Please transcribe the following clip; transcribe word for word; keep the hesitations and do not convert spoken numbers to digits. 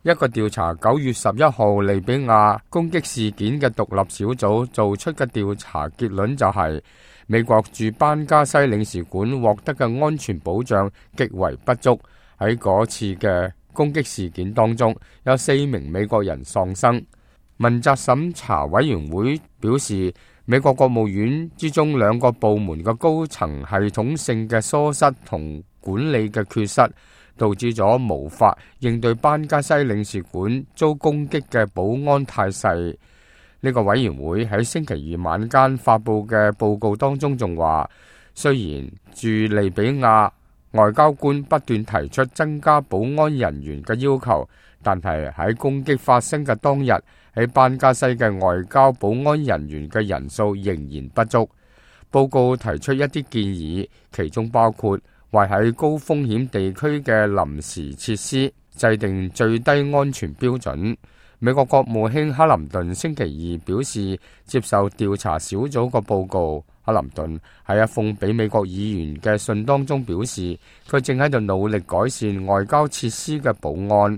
一個調查九月十一號利比亞攻擊事件嘅獨立小組做出嘅調查結論就係，美國駐班加西領事館獲得嘅安全保障極為不足。喺嗰次嘅攻擊事件當中，有四名美國人喪生。問責審查委員會表示，美國國務院之中兩個部門嘅高層系統性嘅疏失同管理嘅缺失，導致咗無法應對班加西領事館遭攻擊嘅保安態勢。呢個委員會喺星期二晚間發佈嘅報告當中仲話，雖然駐利比亞外交官不斷提出增加保安人員嘅要求，但係喺攻擊發生嘅當日，喺班加西嘅外交保安人員嘅人數仍然不足。報告提出一啲建議，其中包括為喺高風險地區嘅臨時設施制定最低安全標準。美國國務卿克林頓星期二表示接受調查小組個報告。克林頓喺一封俾美國議員嘅信當中表示，佢正喺度努力改善外交設施嘅保安。